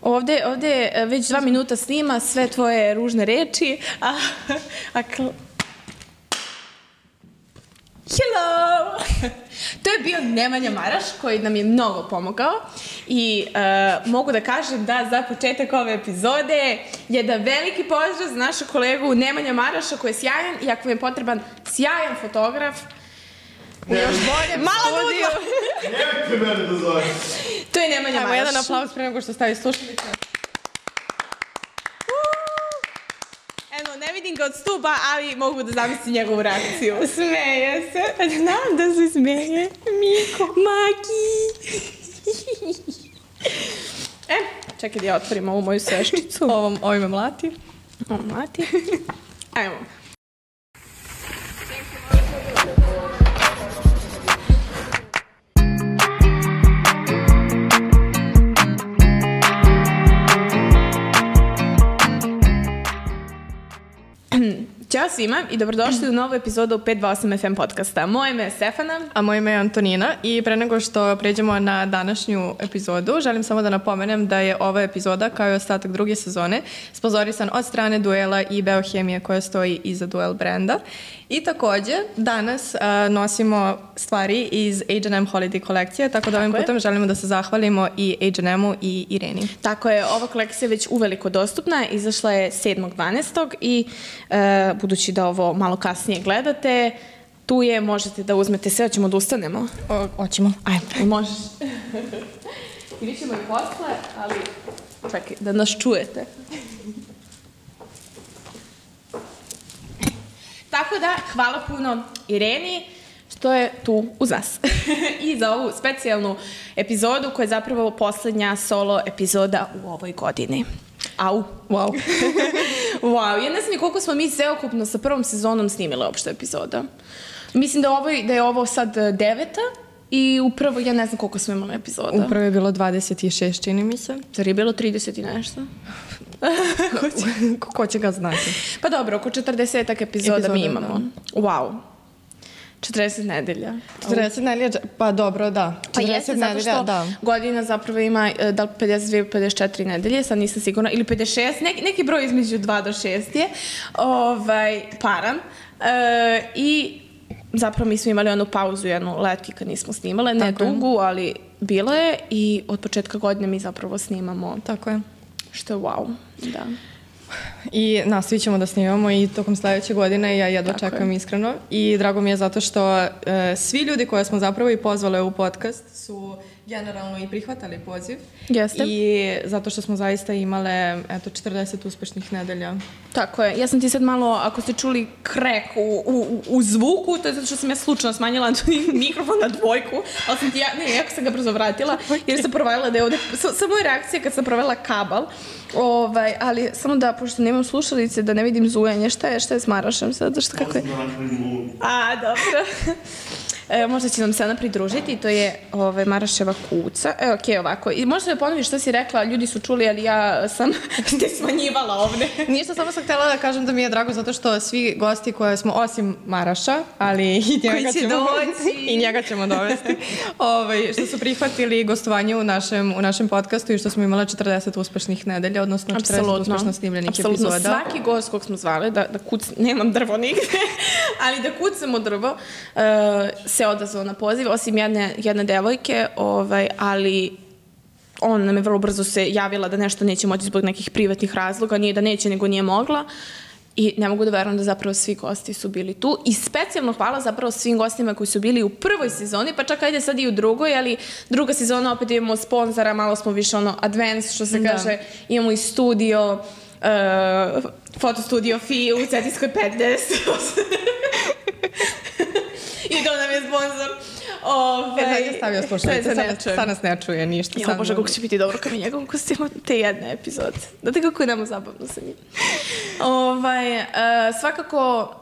Ovde već 2 minuta snima sve tvoje ružne reči, Hello! To je bio Nemanja Maraš koji nam je mnogo pomogao i mogu da kažem da za početak ove epizode jedan veliki pozdrav za našu kolegu Nemanja Maraša koji je sjajan i ako vam je potreban sjajan fotograf u još boljem studiju. Nemojte mene da zove. To je Nemanja Maraš. Evo jedan aplauz pre nego što stavi slušalice. Ne vidim ga od stupa, ali mogu da zamislim njegovu reakciju. Smeje se. Znam da se smeje. Miko. Maki. Čekaj da ja otvorim ovu moju sveščicu. Ovo me mlati. Ovo mlati. Ajmo. Ćao svima i dobrodošli u novu epizodu 528 FM podcasta. Moje ime je Stefana. A moje ime je Antonina i pre nego što pređemo na današnju epizodu, želim samo da napomenem da je ova epizoda, kao i ostatak druge sezone, sponzorisan od strane Duela i Beohemije koja stoji iza Duel brenda. I takođe, danas nosimo stvari iz H&M Holiday kolekcije, tako da ovim putem želimo da se zahvalimo i H&M-u i Ireni. Tako je, ova kolekcija je već uveliko dostupna, izašla je 7.12. i budući da ovo malo kasnije gledate, tu je, možete da uzmete sve, hoćemo da ustanemo? Hoćemo. Ajmo, možeš. I vi ćemo i posle, ali čekaj, da nas čujete. Tako da, hvala puno Ireni što je tu uz nas. I za ovu specijalnu epizodu koja je zapravo poslednja solo epizoda u ovoj godini. Au. Wow. Wow, ja ne znam ni koliko smo mi sveokupno sa prvom sezonom snimile uopšte epizoda. Mislim da je ovo sad 9. i upravo, ja ne znam koliko smo imali epizoda. Upravo je bilo 26, čini mi se. Zar je bilo 30 i nešto? Ko će ga znati? Pa dobro, oko 40 epizoda mi imamo. Da. Wow. 40 nedelja. 40 nedelja, pa dobro, da. 40 pa jeste, zato što godina zapravo ima da li 52, 54 nedelje, sad nisam sigurna, ili 56, neki broj između 2 do 6 je paran. I zapravo mi smo imali onu pauzu, jednu letki kad nismo snimale, ne dugu, ali bilo je i od početka godine mi zapravo snimamo. Tako je. Što je wow, da. I nastavit ćemo da snimamo i tokom sledeće godine, ja jedva čekam iskreno. I drago mi je zato što svi ljudi koje smo zapravo i pozvale u podcast su generalno i prihvatali poziv. Jeste. I zato što smo zaista imale 40 uspešnih nedelja. Tako je. Ja sam ti sad malo, ako ste čuli krek u zvuku, to je zato što sam ja slučajno smanjila mikrofon na 2, ali sam ti jako sam ga brzo vratila, jer sam provajala da je ovde, samo je reakcija kad sam provela kabal, ali samo da, pošto nemam slušalice, da ne vidim zujanje, šta je s Marašem sad, zašto kako je? Dobro. Možda će nam se ona pridružiti, to je Maraševa kuca. Okej, ovako. I možda da ponoviš što si rekla, ljudi su čuli, ali ja sam te smanjivala ovde. Ništa, samo sam htjela da kažem da mi je drago zato što svi gosti koje smo, osim Maraša, ali i njega ćemo dovesti, što su prihvatili gostovanje u našem podcastu i što smo imala 40 uspešnih nedelja, odnosno 40 uspešno snimljenih epizoda. Apsolutno, svaki gost kog smo zvali, da nemam drvo nigde, ali da kucamo drvo, se odazvao na poziv, osim jedne devojke, ali ona nam je vrlo brzo se javila da nešto neće moći zbog nekih privatnih razloga, nije da neće, nego nije mogla. I ne mogu da verujem da zapravo svi gosti su bili tu. I specijalno hvala zapravo svim gostima koji su bili u prvoj sezoni, pa čak ajde sad i u drugoj, ali druga sezona opet imamo sponzora, malo smo više advanced, što se kaže, imamo i studio, fotostudio FI u Cetinskoj 50. I to nam je sponsor. Ja stavio slušalice, sad nas ne čuje ništa. Jo, Bože, kako će biti dobro kad mi njegovom kostima te jedne epizode. Znate kako je nama zabavno sa njim. Svakako,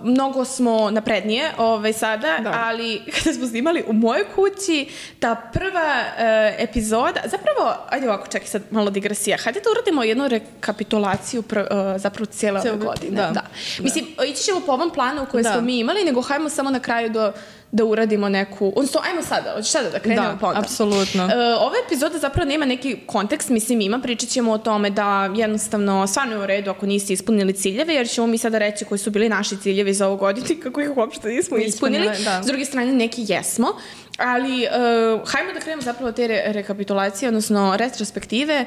mnogo smo naprednije sada, ali kada smo snimali u mojoj kući, ta prva epizoda, zapravo, ajde ovako, čekaj sad malo digresija, hajde da uradimo jednu rekapitulaciju zapravo cijele ove godine. Da. Mislim, ići ćemo po ovom planu koje smo mi imali, nego hajmo samo na kraju da uradimo neku... Odnosno, ajmo sada, hoćeš sada da krenemo pa onda? Da, apsolutno. Ova epizoda zapravo nema neki kontekst, mislim ima, pričat ćemo o tome da jednostavno stvarno je u redu ako niste ispunili ciljeve, jer ćemo mi sada reći koji su bili naši ciljevi za ovu godinu, kako ih uopšte nismo ispunili. S druge strane, neki jesmo. Ali, hajmo da krenemo zapravo te rekapitulacije, odnosno retrospektive.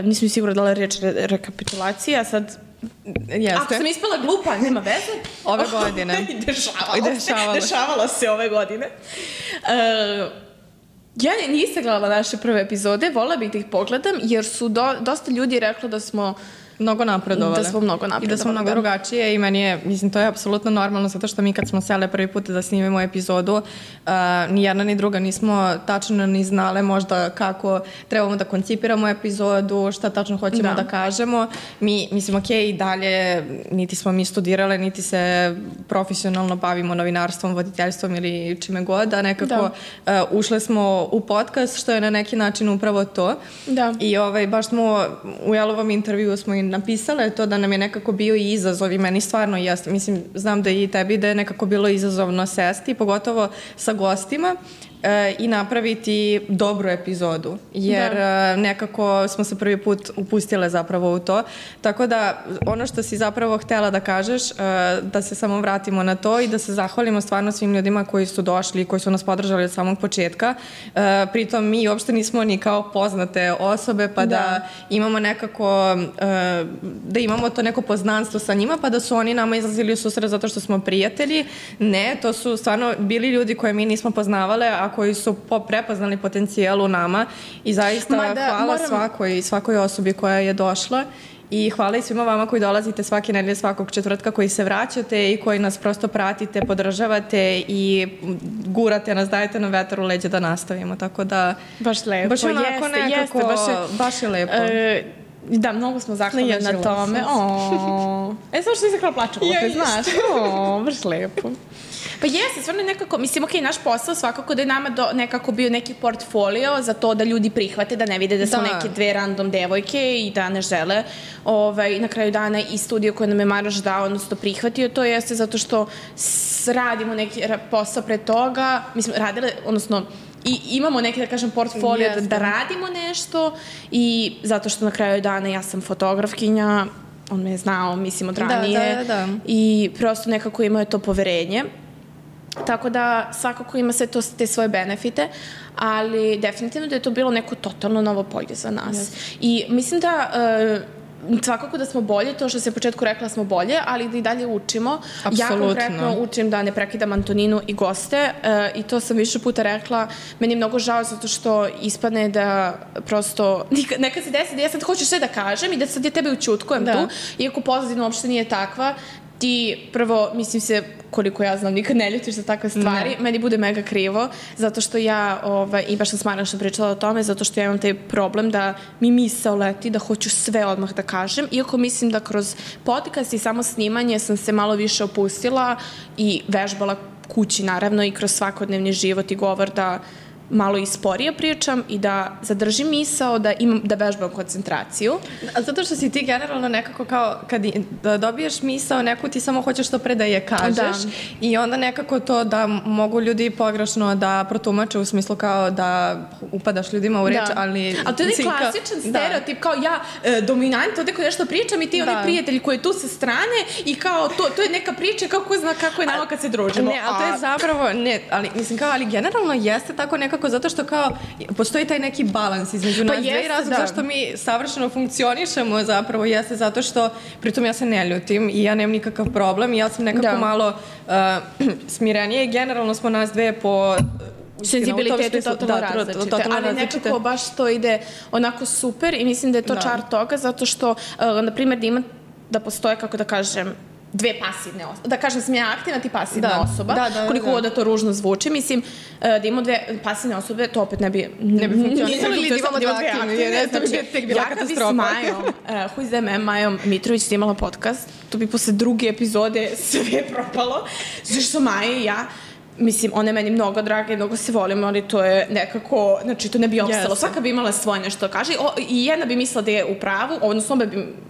Nisam sigurna da li je reč rekapitulacija, sad... Jeste. Ako sam ispala glupa, nema veze. Ove godine. Dešavalo se ove godine. Ja nisam gledala naše prve epizode, vola bih da ih pogledam, jer su dosta ljudi rekli da smo mnogo napredovale. Da smo mnogo napredovale. I da smo mnogo drugačije i meni je, mislim, to je apsolutno normalno zato što mi kad smo sele prvi put da snimimo epizodu, ni jedna ni druga nismo tačno ni znale možda kako trebamo da koncipiramo epizodu, šta tačno hoćemo da kažemo. Mi, mislim, okej, i dalje niti smo mi studirale, niti se profesionalno bavimo novinarstvom, voditeljstvom ili čime god, a nekako ušle smo u podcast, što je na neki način upravo to. Da. I baš smo u Jelovom intervju smo i napisale to da nam je nekako bio i izazov i meni stvarno jeste. Mislim, znam da i tebi da je nekako bilo izazovno sesti, pogotovo sa gostima i napraviti dobru epizodu. Jer nekako smo se prvi put upustile zapravo u to. Tako da ono što si zapravo htela da kažeš, da se samo vratimo na to i da se zahvalimo stvarno svim ljudima koji su došli i koji su nas podržali od samog početka. Pritom mi uopšte nismo ni kao poznate osobe pa da imamo nekako da imamo to neko poznanstvo sa njima pa da su oni nama izlazili u susret zato što smo prijatelji. Ne, to su stvarno bili ljudi koje mi nismo poznavale, a koji su prepoznali potencijal u nama i zaista hvala svakoj osobi koja je došla i hvala i svima vama koji dolazite svake nedelje, svakog četvrtka, koji se vraćate i koji nas prosto pratite, podržavate i gurate nas, dajete nam vetar u leđe da nastavimo, tako da baš lepo, baš onako nekako, baš je lepo. Da, mnogo smo zahvalni na tome. Samo što nisam krala plačem, znaš. Baš lepo. Pa jeste, stvarno nekako, mislim, okej, naš posao svakako da je nama nekako bio neki portfolio za to da ljudi prihvate, da ne vide da su neke dve random devojke i da ne žele. Na kraju dana i studio koje nam je Maraš dao, odnosno prihvatio, to jeste zato što radimo neki posao pre toga, mislim, radile, odnosno i imamo neki, da kažem, portfolio da radimo nešto i zato što na kraju dana ja sam fotografkinja, on me je znao, mislim, od ranije i prosto nekako imao je to poverenje. Tako da svakako ima sve to te svoje benefite, ali definitivno da je to bilo neko totalno novo polje za nas. I mislim da svakako da smo bolje, to što se u početku rekla smo bolje, ali da i dalje učimo. Ja konkretno učim da ne prekidam Antoninu i goste i to sam više puta rekla. Meni je mnogo žao zato što ispadne da prosto nekad se desi da ja sad hoću sve da kažem i da sad ja tebe učutkujem tu, iako pozadina uopšte nije takva. Ti prvo, mislim se, koliko ja znam, nikad ne ljutiš za takve stvari. Meni bude mega krivo, zato što ja, i baš sam s Marašom pričala o tome, zato što ja imam taj problem da mi misao leti, da hoću sve odmah da kažem. Iako mislim da kroz podcast i samo snimanje sam se malo više opustila i vežbala kući, naravno, i kroz svakodnevni život i govor da malo i sporije pričam i da zadržim misao, da vežbam koncentraciju. Zato što si ti generalno nekako kao, kad dobiješ misao neku, ti samo hoćeš što pre da je kažeš i onda nekako to da mogu ljudi pogrešno da protumače u smislu kao da upadaš ljudima u reč, ali... Ali to je klasičan stereotip, kao ja dominant, ovde koji nešto pričam i ti oni prijatelji koji je tu sa strane i kao to je neka priča, kao ko zna kako je nama kad se družimo. Ne, ali to je zapravo, ne, ali mislim kao, ali generalno jeste tako nekako zato što kao postoji taj neki balans između nas dve i razlog zašto mi savršeno funkcionišemo zapravo jeste zato što pritom ja se ne ljutim i ja nemam nikakav problem i ja sam nekako malo smirenije i generalno smo nas dve po senzibilitetu totalno različite, ali nekako baš to ide onako super i mislim da je to čar toga zato što, na primjer, da postoje, kako da kažem, dve pasivne osobe. Da kažem, sam ja aktivna, ti pasivna osoba. Koliko god da to ružno zvuči. Mislim, da imamo dve pasivne osobe, to opet ne bi funkcionisalo. Ili da imamo dve aktivne. Ja kad bi s Majom, Who is them, Majom Mitrović snimala podcast, to bi posle druge epizode sve propalo. Znači što Maja i ja, mislim, ona je meni mnogo draga i mnogo se volimo, ali to je nekako, znači to ne bi opstalo. Svaka bi imala svoje nešto da kaže i jedna bi mislila da je u pravu, odnosno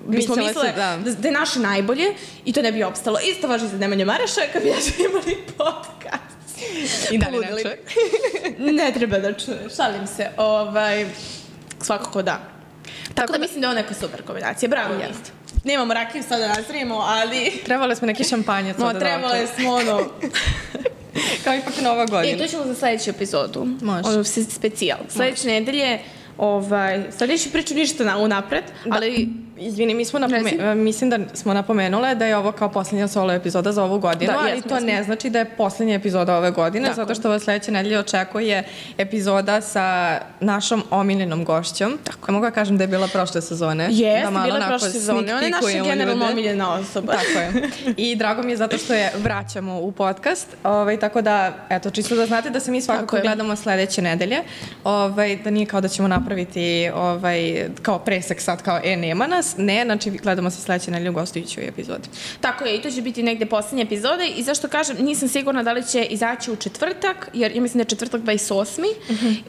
bismo mislile da je naše najbolje i to ne bi opstalo. Isto važi za Nemanja Maraša kad bi ja imali podcast. I da li ne Poludili. čuje? Ne treba da čuje, šalim se. Svakako da. Tako da mislim da je ovo neka super kombinacija. Bravo, Jeste. Nemamo rakiju sada da nazrijemo, ali... Trebali smo neki šampanjac ovde da trebali smo Kao ipak Nova godina. to ćemo za sledeću epizodu. Može. Specijal. Sledeće nedelje, sad neću pričati ništa unapred, ali... Izvini, mislim da smo napomenule da je ovo kao posljednja solo epizoda za ovu godinu, ali to ne znači da je posljednja epizoda ove godine, zato što vas sledeće nedelje očekuje epizoda sa našom omiljenom gošćom. Tako. Mogu da kažem da je bila prošle sezone. Jeste, bila prošle sezone. Ona je naša generalno omiljena osoba. Tako je. I drago mi je zato što je vraćamo u podcast. Tako da, eto, čisto da znate da se mi svakako gledamo sledeće nedelje. Da nije kao da ćemo napraviti kao presek sad, kao nema nas. Ne, znači gledamo se sledeće nedelje u gostujućoj epizodi. Tako je, i to će biti negde poslednje epizode i zašto kažem, nisam sigurna da li će izaći u četvrtak, jer ja mislim da je četvrtak 28.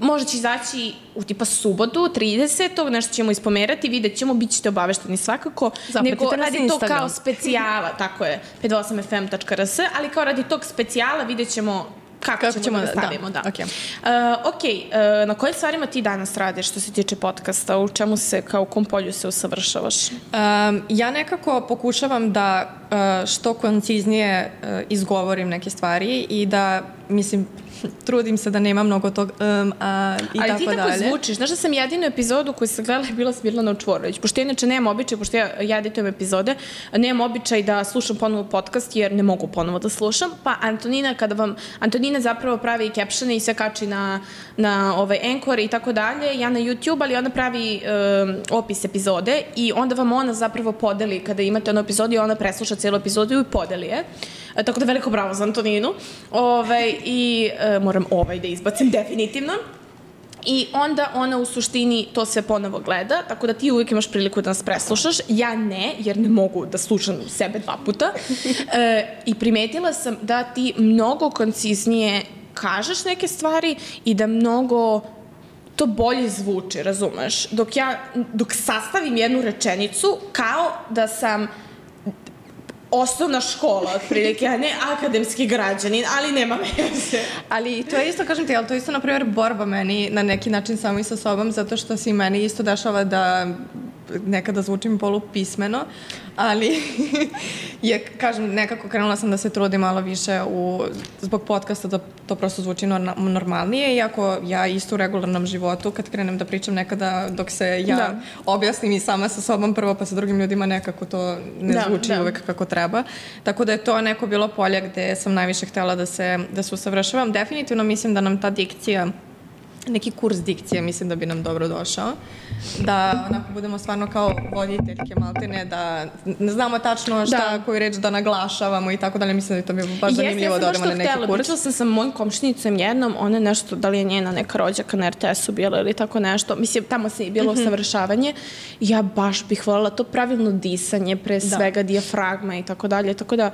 Možda će izaći u tipa subotu, 30. Nešto ćemo ispomerati, vidjet ćemo, bit ćete obavešteni svakako. Zapratite nas na radi to kao specijala, tako je, 58fm.rs, ali kao radi tog specijala vidjet ćemo kako ćemo da stavimo, da. Na kojim stvarima ti danas radiš što se tiče podcasta? U čemu se, kao u kom polju se usavršavaš? Ja nekako pokušavam da što konciznije izgovorim neke stvari i da, mislim, trudim se da nema mnogo tog i tako dalje. Ali ti tako zvučiš. Znaš da sam jedinu epizodu koju sam gledala je bila Smirlana Čvorović. Pošto ja inače nemam običaj, pošto ja editujem epizode, nemam običaj da slušam ponovo podcast jer ne mogu ponovo da slušam. Pa Antonina zapravo pravi captione i sve kači na Anchor i tako dalje, ja na YouTube, ali ona pravi opis epizode i onda vam ona zapravo podeli kada imate onu epizodu i ona presluša celu epizodu i podeli je. Tako da veliko bravo za Antoninu. I moram da izbacim definitivno. I onda ona u suštini to sve ponovo gleda, tako da ti uvijek imaš priliku da nas preslušaš. Ja ne, jer ne mogu da slušam sebe 2 puta. I primetila sam da ti mnogo konciznije kažeš neke stvari i da mnogo to bolje zvuči, razumeš? Dok sastavim jednu rečenicu, kao da sam osnovna škola, otprilike, a ne akademski građanin, ali nema veze. Ali to je isto, kažem ti, ali to je isto, na primjer, borba meni na neki način samo i sa sobom, zato što se meni isto dešava da nekada zvučim polupismeno, ali kažem, nekako krenula sam da se trudim malo više zbog podcasta da to prosto zvuči normalnije, iako ja isto u regularnom životu, kad krenem da pričam nekada dok se ja objasnim i sama sa sobom prvo, pa sa drugim ljudima nekako to ne zvuči uvek kako treba. Tako da je to neko bilo polje gde sam najviše htela da se usavršavam. Definitivno mislim da nam ta dikcija, neki kurs dikcije, mislim da bi nam dobro došao. Da onako budemo stvarno kao voditeljke maltene, da ne znamo tačno koju reč da naglašavamo i tako dalje. Mislim da je to bi baš zanimljivo da odemo na neki kurs. Pričala sam sa mojim komšinicom jednom, ona je nešto, da li je njena neka rođaka na RTS-u bila ili tako nešto. Mislim, tamo se je bilo usavršavanje. Ja baš bih voljela to pravilno disanje, pre svega dijafragma i tako dalje. Tako da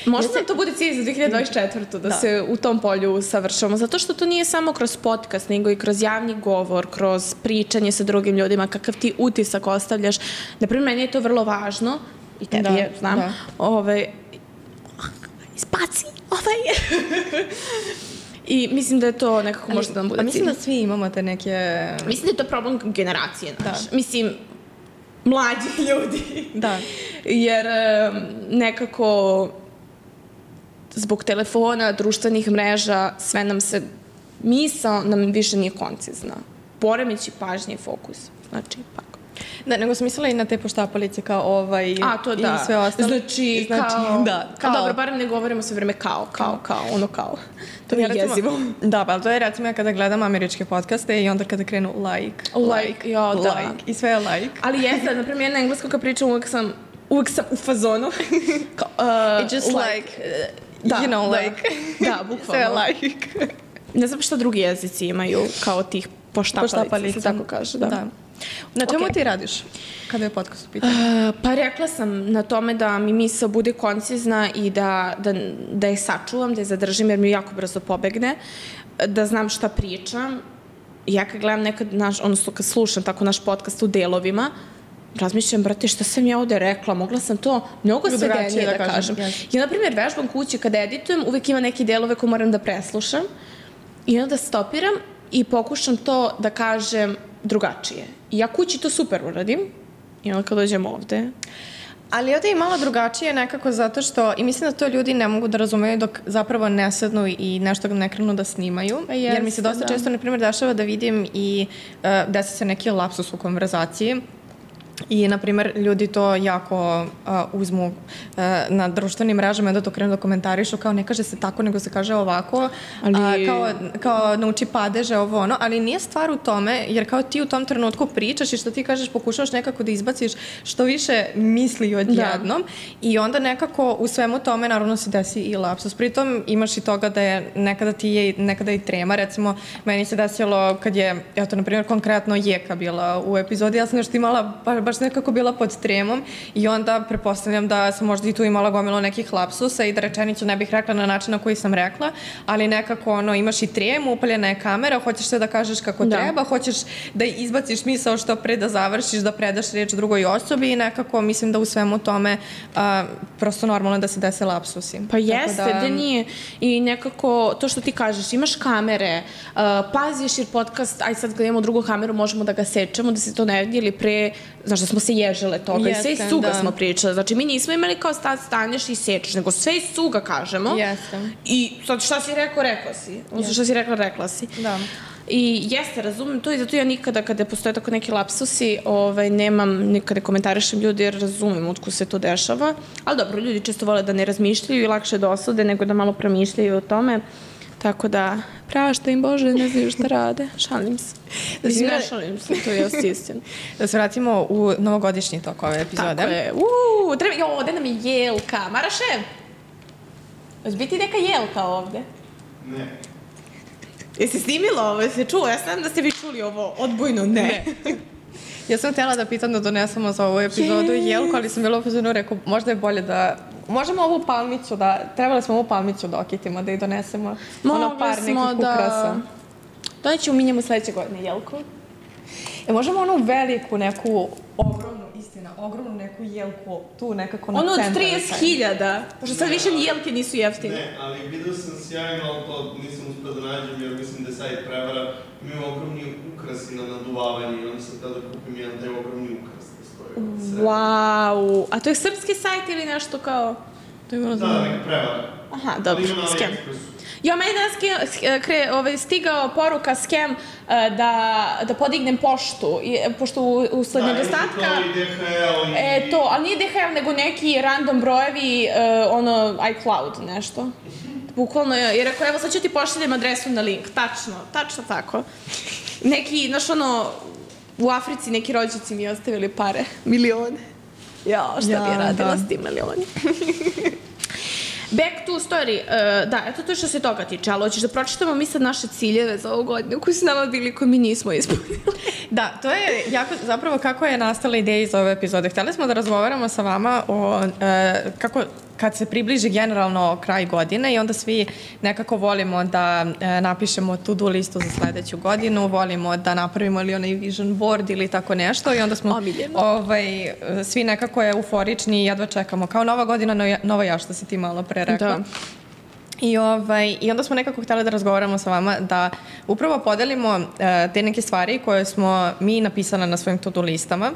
možda nam to bude cilj za 2024. da se u tom polju usavršavamo, zato što to nije samo kroz podcast, nego i kroz javni govor, kroz pričanje sa drugim ljudima, kakav ti utisak ostavljaš. Naprimjer, meni je to vrlo važno, i tebi je, znam, izbaci, I mislim da je to nekako možda da nam bude cilj. Mislim da svi imamo te neke... Mislim da je to problem generacije naš. Mislim, mlađi ljudi. Da. Jer nekako zbog telefona, društvenih mreža, sve nam se, misao nam više nije koncizna. Poremeći pažnje i fokus. Znači, tako. Da, nego sam mislila i na te poštapalice kao i sve ostalo. Znači, kao, dobro, barem ne govorimo sve vreme kao. To je jezivo. Da, ali to je recimo ja kada gledam američke podcaste i onda kada krenu like. I sve je like. Ali jeste, naprimjer, jedna engleska kad pričam, uvek sam u fazonu. It's just like, you know, like. Da, bukvalno. Sve je like. Ne znam šta drugi jezici imaju kao tih poštapalica, se tako kaže, da. Na čemu ti radiš kada je podcast u pitanju? Pa rekla sam na tome da mi misao bude koncizna i da je sačuvam, da je zadržim jer mi jako brzo pobegne, da znam šta pričam. Ja kad gledam nekad odnosno kad slušam tako naš podcast u delovima, razmišljam, brate, šta sam ja ovde rekla, mogla sam to mnogo svedenije da kažem. Ja, na primjer, vežbam kući kada editujem, uvek ima neke delove koje moram da preslušam i onda stopiram i pokušam to da kažem drugačije. I ja kući to super uradim i onda kad dođem ovde... Ali ovdje je malo drugačije nekako zato što, i mislim da to ljudi ne mogu da razumeju dok zapravo ne sednu i nešto ne krenu da snimaju, jer mi se dosta često, na primjer, dešava da vidim i desi se neki lapsus u konverzaciji i, na primjer, ljudi to jako uzmu na društvenim mrežama i onda to krenu da komentarišu kao ne kaže se tako, nego se kaže ovako, kao nauči padeže, ovo ono, ali nije stvar u tome, jer kao ti u tom trenutku pričaš i što ti kažeš, pokušavaš nekako da izbaciš što više misli odjednom i onda nekako u svemu tome naravno se desi i lapsus. Pritom imaš i toga da je nekada i trema, recimo meni se desilo kad je, eto, na primjer, konkretno Jeka bila u epizodi, ja sam nešto imala baš nekako bila pod tremom i onda prepostavljam da sam možda i tu imala gomilo nekih lapsusa i da rečenicu ne bih rekla na način na koji sam rekla, ali nekako imaš i tremu, upaljena je kamera, hoćeš sve da kažeš kako treba, hoćeš da izbaciš misao što pre da završiš, da predaš reč drugoj osobi i nekako mislim da u svemu tome prosto normalno da se dese lapsusi. Pa jeste, da nije. I nekako to što ti kažeš, imaš kamere, paziš jer podcast, aj sad gledamo drugu kameru, možemo da ga sečemo, da se to ne vidi ili pre, znaš da smo se ježele toga i sve iz suga smo pričali. Znači mi nismo imali kao staneš i sečeš, nego sve iz suga kažemo. I sad šta si rekao, rekla si. Šta si rekla si. Da. I jeste, razumem to i zato ja nikada kada postoje tako neki lapsusi nemam, nikada komentarišem ljudi jer razumem otkud se to dešava. Ali dobro, ljudi često vole da ne razmišljaju i lakše da osude nego da malo promišljaju o tome. Tako da, prašta im Bože, ne znaju šta rade. Šalim se. Ne šalim se, to je istina. Da se vratimo u novogodišnji tok ove epizode. Tako je. Ovde nam je jelka. Maraše, hoće biti neka jelka ovde? Ne. Jesi snimila ovo? Jesi čuo? Ja znam da ste vi čuli ovo odbojno. Ne. Ja sam htjela da pitam da donesemo za ovu epizodu jelku, ali sam bila upozorno rekao, možda je bolje da... Možemo ovu palmicu trebali smo ovu palmicu da okitimo, da i donesemo par nekih ukrasa. Donećemo mi njemu sledeće godine jelku. Možemo onu veliku neku ogromnu neku jelku tu nekako na centru. Ono od 30.000, pošto sad više ni jelke nisu jeftine. Ne, ali vidio sam sjajno, ali to nisam uspio da nađem jer mislim da je sajt prevara. Imaju ogromni ukrasi na naduvavanje i onda sam tada kupim jedan taj ogromni ukras da stoje. Wow, a to je srpski sajt ili nešto kao... Da, neka prevara. Aha, dobro, skem. Ja, meni danas stigao poruka skem da podignem poštu, pošto usled nedostatka... To, ali nije DHL, nego neki random brojevi, iCloud nešto. Bukvalno je rekao, evo sad ću ti pošaljem adresu na link. Tačno tako. Neki, znaš u Africi neki rođaci mi ostavili pare, milione. Ja, šta bi je radila s tim milioni? Back to story. Da, eto to što se toga tiče, ali hoćeš da pročitamo mi sad naše ciljeve za ovu godinu koji su nama bili, koji mi nismo ispunili. Da, to je jako, zapravo kako je nastala ideja iz ove epizode. Htjeli smo da razgovaramo sa vama o kako kad se približi generalno kraj godine i onda svi nekako volimo da napišemo to-do listu za sledeću godinu, volimo da napravimo ili onaj vision board ili tako nešto i onda smo svi nekako euforični i jedva čekamo. Kao nova godina, nova ja, što si ti malo pre rekla. Da. I onda smo nekako htjeli da razgovaramo sa vama da upravo podelimo te neke stvari koje smo mi napisala na svojim to-do listama,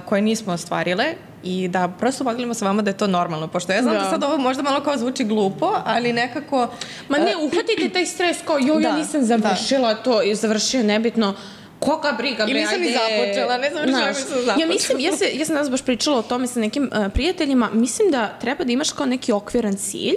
koje nismo ostvarile i da prosto podelimo sa vama da je to normalno, pošto ja znam da sad ovo možda malo kao zvuči glupo, ali nekako... Ma ne, uhvatite taj stres kao ja nisam završila to i završio nebitno. Koga briga, bre, ili sam i započela, ne znam što sam započela. Ja sam danas baš pričala o tome sa nekim prijateljima, mislim da treba da imaš kao neki okviran cilj,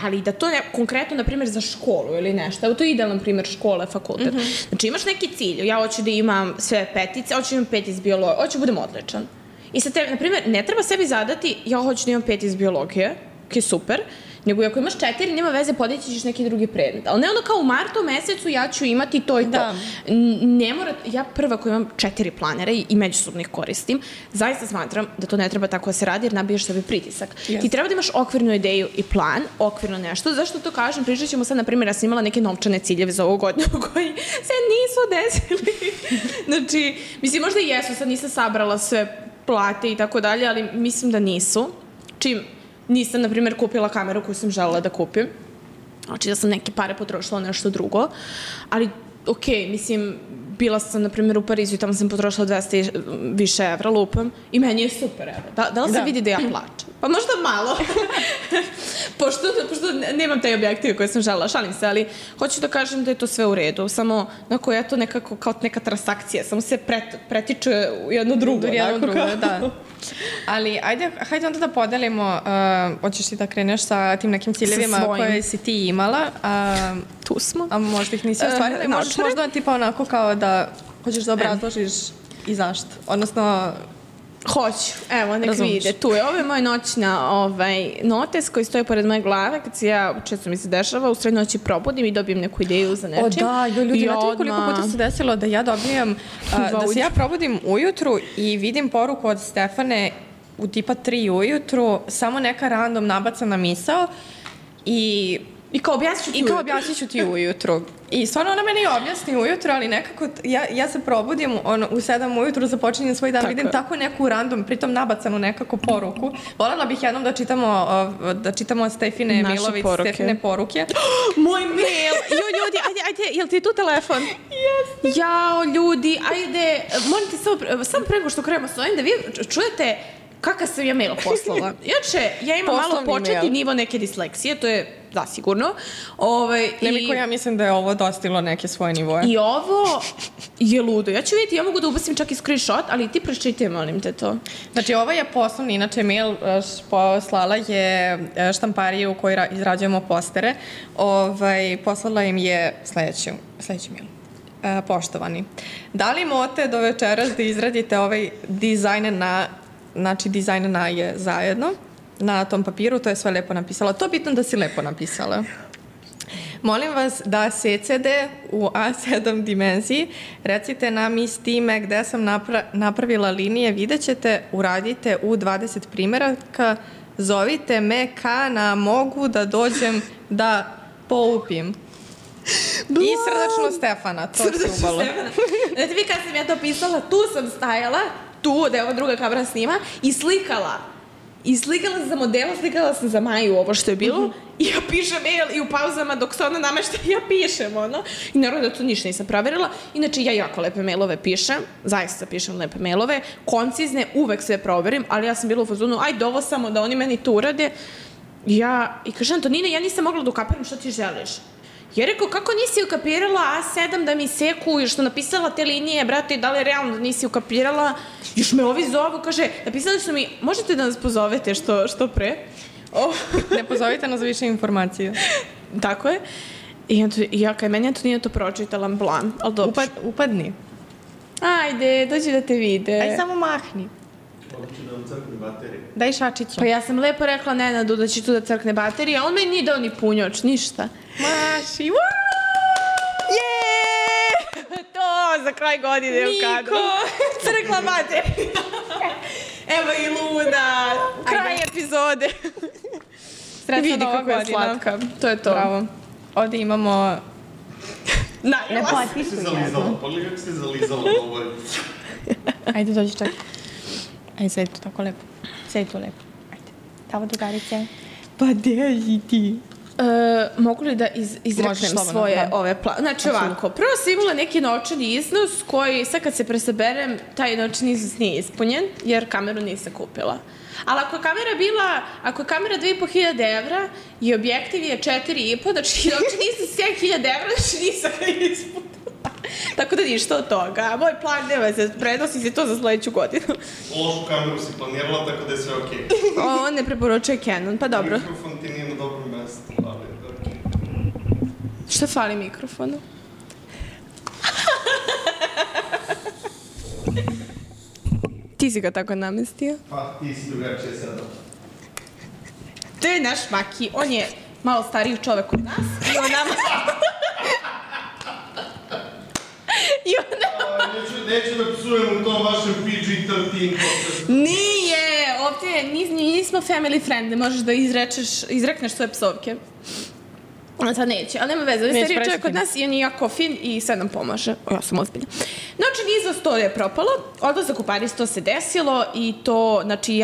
ali da to je konkretno, na primjer, za školu ili nešto. Evo, to je idealan primjer škole, fakultet. Znači, imaš neki cilj, ja hoću da imam sve petice, hoću da imam 5 iz biologije, hoću da budem odličan. I sad, na primjer, ne treba sebi zadati, ja hoću da imam 5 iz biologije, ok, super, nego ako imaš 4, nema veze, podići ćeš neki drugi predmet. Ali ne ono kao u martu mesecu ja ću imati to i to. Da. Ne mora, ja prva koja imam 4 planera i međusobno ih koristim, zaista smatram da to ne treba tako da se radi jer nabiješ sebi pritisak. Yes. Ti treba da imaš okvirnu ideju i plan, okvirno nešto. Zašto to kažem? Pričat ćemo sad, na primjer, ja sam imala neke novčane ciljeve za ovu godinu koji se nisu desili. Znači, mislim, možda i jesu, sad nisam sabrala sve plate i tako dalje, ali mislim da nisu. Čim nisam, na primjer, kupila kameru koju sam želela da kupim. Znači da sam neke pare potrošila nešto drugo. Ali, okej, mislim, bila sam, na primjer, u Parizu i tamo sam potrošila 200 više evra, lupam, i meni je super, evo. Da li se vidi da ja plačem? Pa možda malo. pošto nemam taj objektiv koji sam želela, šalim se, ali hoću da kažem da je to sve u redu. Samo, onako, je to nekako kao neka transakcija, samo se pretiče u jedno drugo. Da. Ali, hajde onda da podelimo, hoćeš ti da kreneš sa tim nekim ciljevima koje si ti imala. Tu smo. A možda ih nisi ostvarila. Možeš možda tipa onako kao da hoćeš da obrazložiš i zašto. Odnosno... Hoću. Evo, nek vide. Tu je. Ovo je moj noćna notes koji stoji pored moje glave. Kad se ja, često mi se dešava, u sred noći probudim i dobijem neku ideju za nečim. O da, ljudi, znate koliko puta se desilo da ja dobijem, da se ja probudim ujutru i vidim poruku od Stefane u tipa 3 ujutru, samo neka random nabacana misao i kao objasnit ću ti ujutru. I stvarno ona meni objasni ujutru, ali nekako ja se probudim u 7 ujutru, započinjem svoj dan, vidim tako neku random, pritom nabacanu nekako poruku. Voljela bih jednom da čitamo od Stefine Milović, Stefine poruke. Moj mail! Jo, ljudi, ajde, jel ti tu telefon? Jeste. Jao, ljudi, ajde, molim ti samo prego što krenemo s ovim, da vi čujete kakav sam ja mail poslala. Inače, ja imam malo početni nivo neke disleksije, to je zasigurno. Nemiko, ja mislim da je ovo dostiglo neke svoje nivoje. I ovo je ludo. Ja ću vidjeti, ja mogu da ubacim čak i screenshot, ali ti pročitaj, molim te to. Znači, ovo je poslovni, inače mail poslala je štampariju u kojoj izrađujemo postere. Poslala im je sledeći mail. Poštovani, da li mote do večeras da izradite ovaj dizajn dizajn na je zajedno na tom papiru, to je sve lepo napisala. To je bitno da si lepo napisala. Molim vas da CCD u A7 dimenziji recite nam iz time gde sam napravila linije, vidjet ćete, uradite u 20 primjeraka, zovite me mogu da dođem da poupim. I srdačno Stefana, to se ubalo. Znate vi kad sam ja to pisala, tu sam stajala, tu, da je ova druga kamera snima, i slikala. I slikala sam za modela, slikala sam za Maju ovo što je bilo. I ja pišem mail i u pauzama dok se ona namešta, ja pišem, ono. I naravno da to ništa nisam proverila. Inače, ja jako lepe mailove pišem, zaista pišem lepe mailove, koncizne, uvek sve proverim, ali ja sam bila u fazonu, ajde ovo samo da oni meni to urade. I kažem, Antonina, ja nisam mogla da ukapiram što ti želiš. Ja rekao, kako nisi ukapirala A7 da mi seku, još što napisala te linije, brate, da li je realno da nisi ukapirala? Još me ovi zovu, kaže, napisali su mi, možete da nas pozovete što pre? Ne pozovite nas za više informacije. Tako je. I ja, kaj meni Antonina to pročitala, blam, ali dobro. Upadni. Ajde, dođi da te vide. Aj, samo mahni. Hoće da vam crkne baterije. Daj šačiću. Pa ja sam lepo rekla Nenadu da će tu da crkne baterije, a on meni nije dao ni punjoč, ništa. Maši, To za kraj godine u kadru. Niko! Crkla baterija. Evo i Luna. Kraj epizode. Vidi kako je slatka. To je to. Bravo. Ovdje imamo... Ne potpisuj jedno. Pogledaj kako se zalizala ovo. Ajde, dođi čak. Ajde, sedi tu tako lepo. Sedi tu lepo. Ajde. Tavo drugarice. Pa gdje ti? Mogu li da izreknem svoje ove plane? Znači ovako, prvo sam imala neki novčani iznos koji sad kad se presaberem, taj novčani iznos nije ispunjen jer kameru nisam kupila. Ali ako je kamera 2.500 evra i objektiv je 4.500, znači novčani iznos 7.000 evra, znači nisam ga ispunila. Tako da ništa od toga. Moj plan nema se, prenosi se to za sledeću godinu. Lošu kameru si planirala, tako da je sve okej. On ne preporučuje Canon, pa dobro. Mikrofon ti nije na dobrom mestu, ali je okej. Šta fali mikrofonu? Ti si ga tako namestio? Pa, ti si drugačije sada. To je naš Maki, on je malo stariji čovek od nas i on nama... Neću da psujem u tom vašem PG-13 podcastu. Nije, ovdje nismo family friend, možeš da izrekneš svoje psovke. Sad neće, ali nema veze, on je stariji čovjek od nas i on je jako fin i sad nam pomaže. Ja sam ozbiljna. Znači, niz to je propalo, odlazak u Pariz, to se desilo i to, znači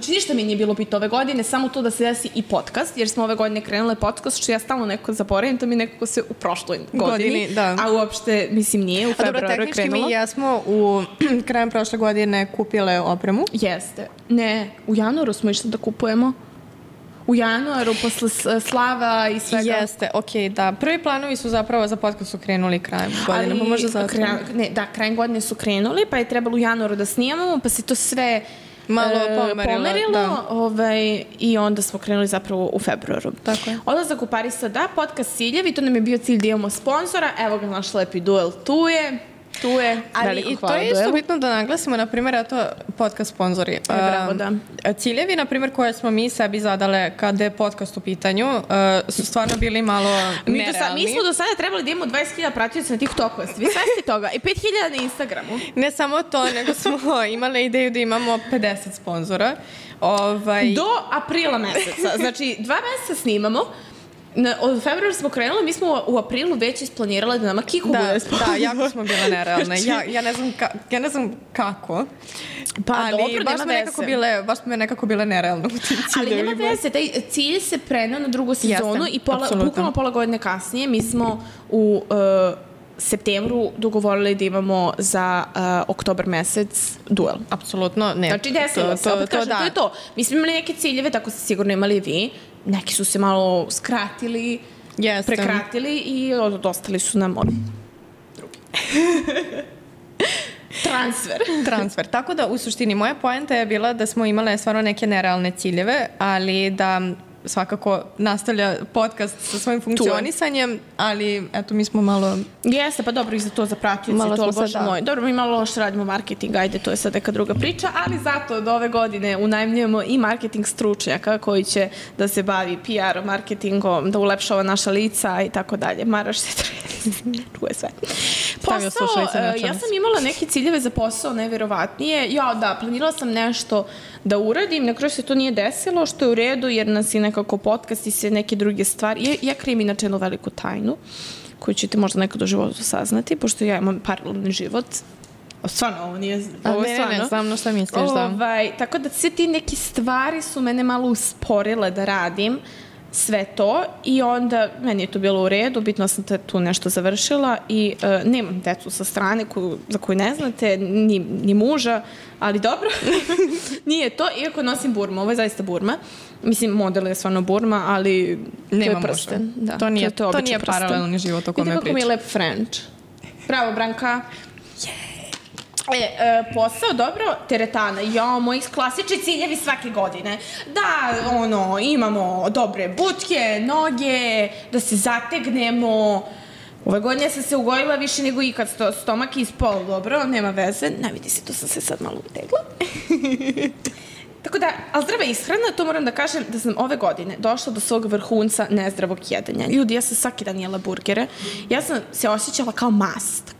ništa mi nije bilo biti ove godine, samo to da se desi i podcast, jer smo ove godine krenule podcast, što ja stalno nekako zaboravim, to mi nekako se u prošloj godini, a uopšte, mislim, nije, u februaru je krenulo. Dobro, tehnički mi jesmo u krajem prošle godine kupile opremu. Jeste. Ne, u januaru smo išli da kupujemo. U januaru, posle slava i svega. Jeste, okej, da. Prvi planovi su zapravo za podcast su krenuli krajem godine, pa možda zato. Krajem godine su krenuli, pa je trebalo u januaru da snimamo, pa se to sve malo pomerilo i onda smo krenuli zapravo u februaru. Tako je. Odlazak u Pariz, da, podcast ciljevi, to nam je bio cilj da imamo sponzora, evo ga naš lepi Duel, tu je. Ali i to je isto bitno da naglasimo, na primjer, eto, podcast sponzori. Bravo, da. Ciljevi, na primjer, koje smo mi sebi zadale kada je podcast u pitanju, su stvarno bili malo nerealni. Mi smo do sada trebali da imamo 20.000 pratioca na TikToku, vi svesti toga, i 5.000 na Instagramu. Ne samo to, nego smo imali ideju da imamo 50 sponzora. Do aprila meseca, znači 2 meseca snimamo. Od februara smo krenuli, mi smo u aprilu već isplanirali da nama Kiku bude sponsor. Da, jako smo bile nerealne. Ja ne znam kako, ali dobro, baš smo nekako bile nerealne u tim ciljevima. Ali nema veze, taj cilj se prenao na drugu sezonu i bukvalno pola godine kasnije mi smo u septembru dogovorili da imamo za oktobar mesec duel. Apsolutno, ne. Znači, desilo se, opet kažem, to je to. Mi smo imali neke ciljeve, tako ste sigurno imali i vi. Neki su se malo skratili, prekratili i ostali su nam drugi. Transfer. Tako da, u suštini, moja poenta je bila da smo imale stvarno neke nerealne ciljeve, ali da svakako nastavlja podcast sa svojim funkcionisanjem, ali eto, mi smo malo... Jeste, pa dobro, i za to zapratioci, to, bože moj. Dobro, mi malo loše radimo marketing, ajde, to je sad neka druga priča, ali zato od ove godine unajmljujemo i marketing stručnjaka koji će da se bavi PR marketingom, da ulepšava naša lica i tako dalje. Maraš se čuje sve. Posao, ja sam imala neke ciljeve za posao, nevjerovatnije. Planirala sam nešto da uradim, na kraju se to nije desilo, što je u redu, jer nas je nekako podcast i sve neke druge stvari. Ja krijem inače jednu veliku tajnu, koju ćete možda nekad u životu saznati, pošto ja imam paralelni život. Stvarno, ovo nije... Ne, znam na šta misliš, da. Tako da sve ti neke stvari su mene malo usporile da radim sve to i onda meni je to bilo u redu, bitno sam tu nešto završila i nemam decu sa strane za koju ne znate, ni muža, ali dobro, nije to, iako nosim burma, ovo je zaista burma. Mislim, model je stvarno burma, ali to je prsten. Da, to nije paralelni život o kome pričam. Vidite kako mi je lep French. Bravo, Branka. Posao, dobro, teretana. Moji klasični ciljevi svake godine. Da, imamo dobre butke, noge, da se zategnemo. Ove godine sam se ugojila više nego ikad, stomak ispao, dobro, nema veze. Ne vidi se, tu sam se sad malo utegla. Tako da, ali zdrava ishrana, to moram da kažem da sam ove godine došla do svog vrhunca nezdravog jedanja. Ljudi, ja sam svaki dan jela burgere. Ja sam se osjećala kao mast,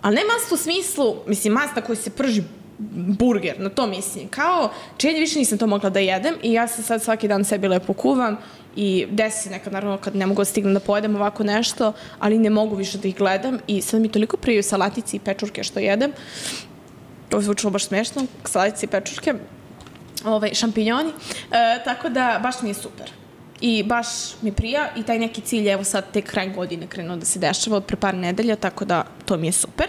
ali ne mast u smislu, mislim, mast na koji se prži burger, na to mislim. Kao, čelje više nisam to mogla da jedem i ja se sad svaki dan sebi lepo kuvam i desi se nekad, naravno, kad ne mogu da stignem da pojedem ovako nešto, ali ne mogu više da ih gledam i sad mi toliko priju salatici i pečurke što jedem. Ovo zvučilo baš smešno, salatici i pečurke, šampinjoni, tako da baš mi je super. I baš mi prija i taj neki cilj, evo sad tek kraj godine krenuo da se dešava od pre par nedelja, tako da to mi je super.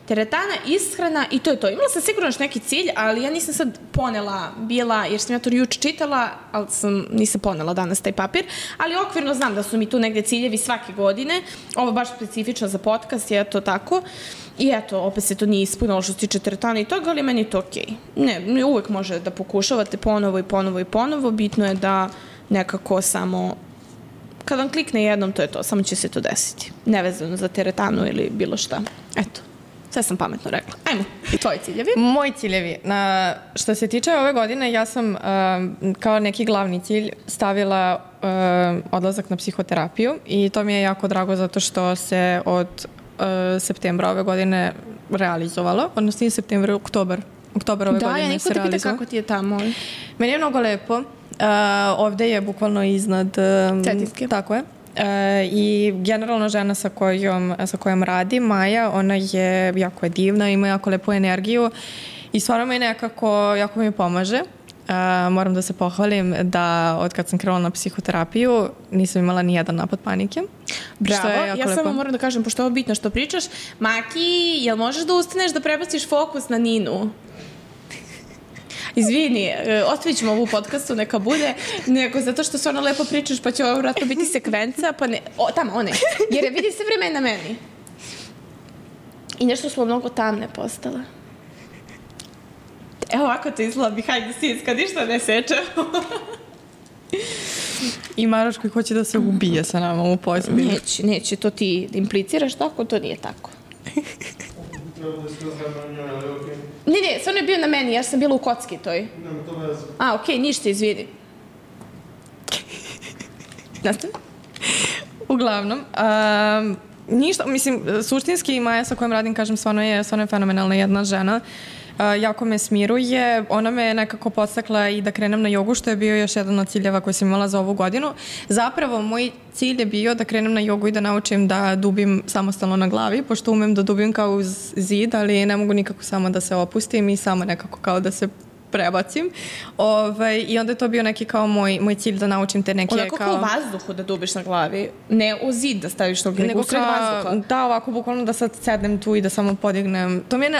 Teretana, ishrana i to je to. Imala sam sigurno još neki cilj, ali ja nisam sad ponela jer sam ja to juče čitala, ali nisam ponela danas taj papir, ali okvirno znam da su mi tu negde ciljevi svake godine. Ovo baš specifično za podcast, je to tako. I eto, opet se to nije ispunilo što se tiče teretana i toga, ali meni je to okej. Ne, uvek može da pokušavate ponovo i ponovo i ponovo. Bitno je da nekako samo, kad vam klikne jednom, to je to, samo će se to desiti. Nevezano za teretanu ili bilo šta. Eto. Sve sam pametno rekla. Ajmo, tvoji ciljevi. Moji ciljevi. Što se tiče ove godine, ja sam kao neki glavni cilj stavila odlazak na psihoterapiju i to mi je jako drago zato što se od septembra ove godine realizovalo, odnosno nije septembar, oktobar ove godine se realizovalo. Da, ja niko te pita kako ti je tamo. Meni je mnogo lepo. Ovde je bukvalno iznad Cetinske. Tako je. I generalno žena sa kojom radi, Maja, ona je jako divna, ima jako lepu energiju i stvarno mi nekako, jako mi pomaže. Moram da se pohvalim da od kad sam krenula na psihoterapiju nisam imala ni jedan napad panike. Bravo, ja samo moram da kažem, pošto je ovo bitno što pričaš, Maki, jel možeš da ustaneš da prebaciš fokus na Ninu? Izvini, ostavit ćemo ovu podcastu, neka bude, nego zato što stvarno lepo pričaš, pa će ovo vratno biti sekvenca, pa ne, tamo, one, jer je vidi se vreme na meni. I nešto smo mnogo tamne postale. Evo ovako to izgleda behind the scenes, kad ništa ne seče. I Maroš koji hoće da se ubije sa nama u pozadini. Neće, to ti impliciraš tako, to nije tako. Ne, stvarno je bio na meni, ja sam bila u kocki toj. Nema to veze. Okej, ništa, izvidi. Nastavi? Uglavnom, ništa, mislim, suštinski Maja sa kojom radim, kažem, stvarno je fenomenalna jedna žena. Jako me smiruje, ona me nekako podstakla i da krenem na jogu, što je bio još jedan od ciljeva koji sam imala za ovu godinu. Zapravo, moj cilj je bio da krenem na jogu i da naučim da dubim samostalno na glavi, pošto umem da dubim kao uz zid, ali ne mogu nikako samo da se opustim i samo nekako kao da se prebacim. I onda je to bio neki kao moj cilj da naučim te neke onako kao vazduhu da dubiš na glavi, ne u zid da staviš tog nego usred vazduha. Da, ovako bukvalno da sad sednem tu i da samo podignem. To mi je,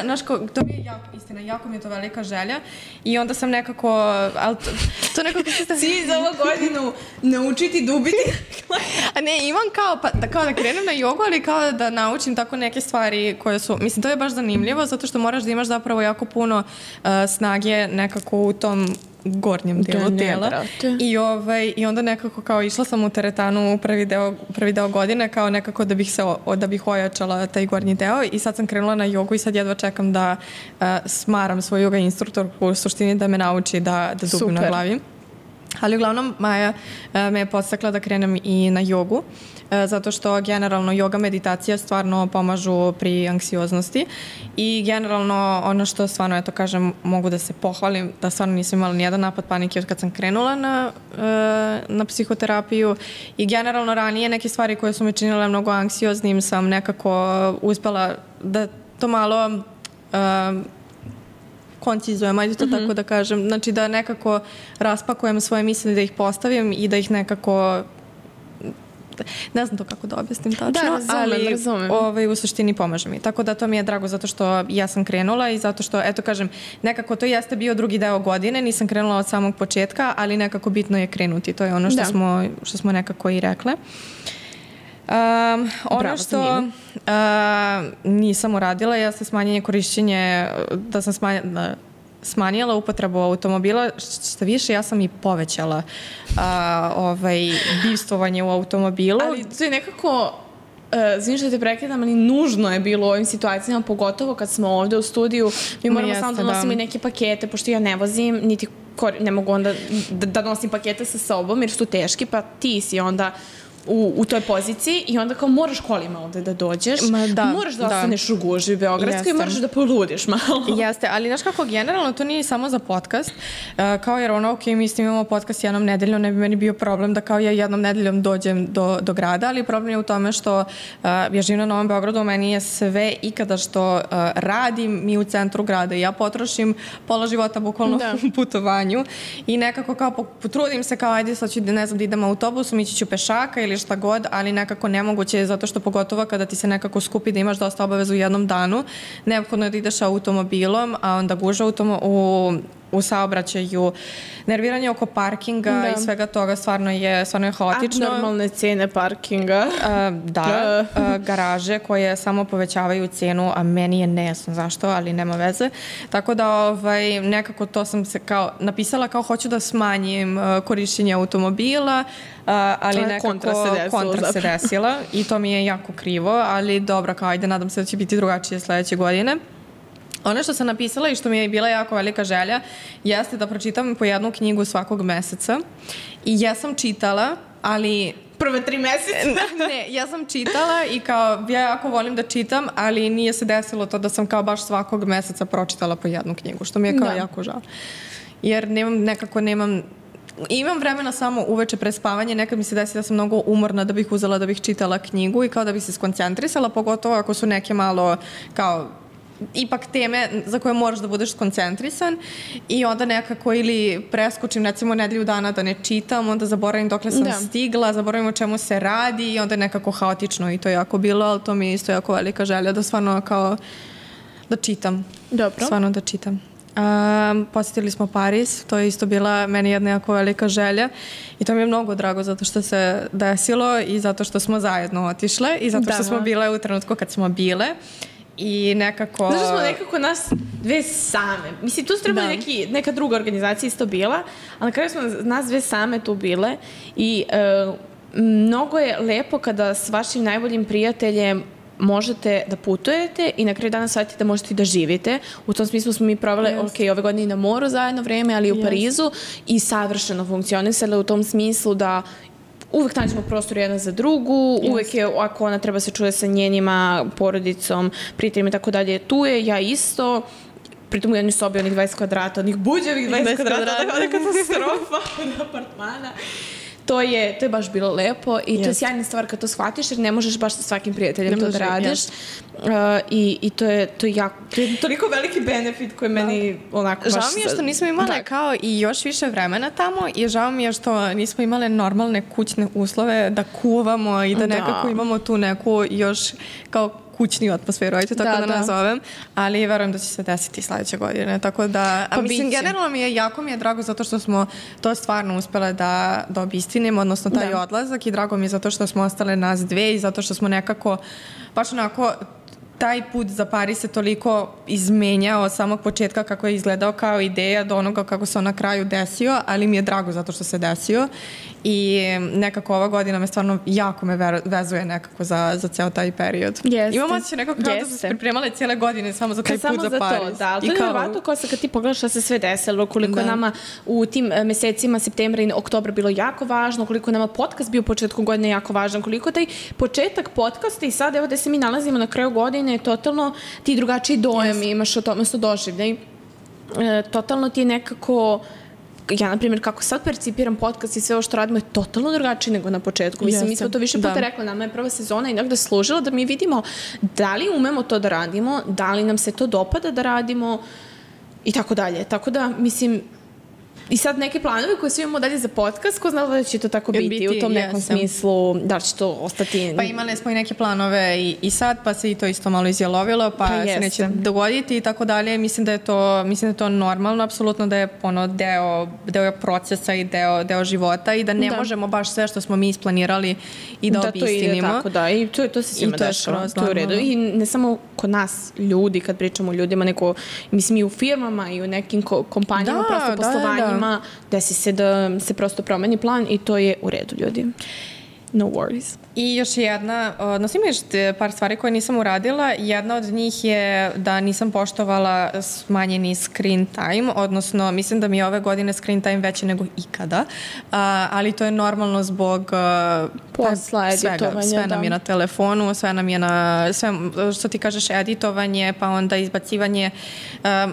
to mi je jako mi je to velika želja i onda sam nekako, ali to nekako cilj za ovu godinu naučiti dubiti. A ne, imam kao da krenem na jogu, ali kao da naučim tako neke stvari koje su, mislim, to je baš zanimljivo zato što moraš da imaš zapravo jako puno snage nekako u tom gornjem delu tela. I onda nekako kao išla sam u teretanu prvi deo godine kao nekako da bih ojačala taj gornji deo i sad sam krenula na jogu i sad jedva čekam da smaram svoj yoga instruktor u suštini da me nauči da dubim na glavi. Ali uglavnom Maja me je podstakla da krenem i na jogu, zato što generalno yoga meditacija stvarno pomažu pri anksioznosti i generalno ono što stvarno, eto kažem, mogu da se pohvalim, da stvarno nisam imala nijedan napad panike od kad sam krenula na psihoterapiju i generalno ranije neke stvari koje su me činile mnogo anksioznim sam nekako uspela da to malo koncizujem, ajde to tako da kažem. Znači da nekako raspakujem svoje misli, da ih postavim i da ih nekako ne znam to kako da objasnim tačno, ali u suštini pomaže mi. Tako da to mi je drago zato što ja sam krenula i zato što, eto kažem, nekako to jeste bio drugi deo godine, nisam krenula od samog početka, ali nekako bitno je krenuti. To je ono što smo nekako i rekle. Ono što nisam uradila jeste smanjenje korišćenje, da sam smanjila upotrebu automobila, što više ja sam i povećala bivstvovanje u automobilu. Ali to je nekako, znam što te prekidam, ali nužno je bilo u ovim situacijama, pogotovo kad smo ovde u studiju, mi moramo samo da nosimo i neke pakete, pošto ja ne vozim, niti ne mogu onda da nosim pakete sa sobom jer su teški, pa ti si onda u toj poziciji i onda kao moraš kolima ovde da dođeš, moraš da ostaneš u gužvi Beogradskoj i moraš da poludiš malo. Jeste, ali znaš kako, generalno to nije samo za podcast, kao jer ono, ok, mi imamo podcast jednom nedeljom, ne bi meni bio problem da kao ja jednom nedeljom dođem do grada, ali problem je u tome što ja živim na Novom Beogradu, meni je sve ikada što radim mi u centru grada i ja potrošim pola života bukvalno u putovanju i nekako kao potrudim se kao ajde sad ću ne znam da idem autobusom, ići ću pešaka ili šta god, ali nekako nemoguće je zato što pogotovo kada ti se nekako skupi da imaš dosta obaveza u jednom danu, neophodno je da ideš automobilom, a onda guža u saobraćaju, nerviranje oko parkinga i svega toga stvarno je haotično. Abnormalne cene parkinga. Garaže koje samo povećavaju cenu, a meni je nejasno zašto, ali nema veze. Tako da nekako to sam se kao napisala kao hoću da smanjim korišćenje automobila, ali nekako kontra se desila i to mi je jako krivo, ali dobro, kao ajde, nadam se da će biti drugačije sledeće godine. Ono što sam napisala i što mi je bila jako velika želja jeste da pročitam po jednu knjigu svakog meseca i ja sam čitala, ali prve 3 meseca. Ne, ja sam čitala i kao, ja jako volim da čitam, ali nije se desilo to da sam kao baš svakog meseca pročitala po jednu knjigu, što mi je kao jako žao. Jer imam vremena samo uveče pre spavanje, nekad mi se desi da sam mnogo umorna da bih uzela da bih čitala knjigu i kao da bih se skoncentrisala, pogotovo ako su neke malo kao ipak teme za koje moraš da budeš skoncentrisan i onda nekako ili preskočim recimo nedelju dana da ne čitam, onda zaboravim dokle sam stigla, zaboravim o čemu se radi i onda je nekako haotično i to je jako bilo, ali to mi je isto jako velika želja da stvarno kao da čitam. Dobro. Stvarno da čitam. Posjetili smo Pariz, to je isto bila meni jedna jako velika želja i to mi je mnogo drago zato što se desilo i zato što smo zajedno otišle i zato što smo bile u trenutku kad smo bile. I nekako... Znaš smo nekako nas dve same. Mislim, tu su trebali neka druga organizacija isto bila, ali na kraju smo nas dve same tu bile i mnogo je lepo kada s vašim najboljim prijateljem možete da putujete i na kraju dana shvatite da možete i da živite. U tom smislu smo mi provele, ove godine i na moru zajedno vreme, ali i u Parizu i savršeno funkcionisale u tom smislu da uvek nađemo prostor jedna za drugu, uvek je, ako ona treba se čuje sa njenima, porodicom, prijateljima i tako dalje, tu je, ja isto, pritom u jednoj sobi onih 20 kvadrata, onih buđavih 20 kvadrata, tako da katastrofa od apartmana. To je baš bilo lepo i to je sjajna stvar kad to shvatiš jer ne možeš baš sa svakim prijateljem to da radiš i to je toliko veliki benefit koji meni onako baš... Žao mi je što nismo imale kao i još više vremena tamo i žao mi je što nismo imale normalne kućne uslove da kuvamo i da nekako imamo tu neku još kao kućniju atmosferu, ajte tako da nazovem, ali verujem da će se desiti sledeće godine, tako da, a mislim, generalno jako mi je drago zato što smo to stvarno uspele da obistinimo, odnosno taj odlazak i drago mi je zato što smo ostale nas dve i zato što smo nekako, baš onako, taj put za Pariz se toliko izmenjao od samog početka kako je izgledao kao ideja do onoga kako se on na kraju desio, ali mi je drago zato što se desio i nekako ova godina me stvarno jako vezuje nekako za ceo taj period. Imam osjećaj nekako kao da su se pripremale cijele godine samo za taj put za Pariz. Da, ali to je nevjerovatno kao kad ti pogledaš šta se sve desilo, koliko je nama u tim mesecima septembra i oktobra bilo jako važno, koliko je nama podcast bio u početku godine jako važan, koliko taj početak podcasta i sad evo da se mi nalazimo na kraju godine je totalno ti drugačiji dojam imaš o tome što doživljaj. Totalno ti je nekako, ja na primjer kako sad percipiram podcast i sve ovo što radimo je totalno drugačije nego na početku. Mislim, mi smo to više puta rekli, nama je prva sezona i negde služila da mi vidimo da li umemo to da radimo, da li nam se to dopada da radimo i tako dalje. Tako da, mislim, i sad neke planove koje svi imamo dalje za podcast, ko zna da će to tako biti u tom nekom smislu, da li će to ostati... Pa imali smo i neke planove i sad, pa se i to isto malo izjalovilo, pa se neće dogoditi i tako dalje. Mislim da je to normalno, apsolutno da je deo procesa i deo života i da ne možemo baš sve što smo mi isplanirali i da obistinimo. Da, to ide tako, da. I to se svima dešava. To je u redu. I ne samo kod nas ljudi, kad pričamo o ljudima, nego, mislim i u firmama i u nekim kompanijama, prosto poslovanjima, desi se da se prosto promeni plan i to je u redu, ljudi. No worries. I još jedna, odnosno ima još par stvari koje nisam uradila. Jedna od njih je da nisam poštovala smanjeni screen time, odnosno mislim da mi je ove godine screen time veći nego ikada, ali to je normalno zbog posla, editovanja. Sve nam je na telefonu, sve nam je na, sve što ti kažeš editovanje, pa onda izbacivanje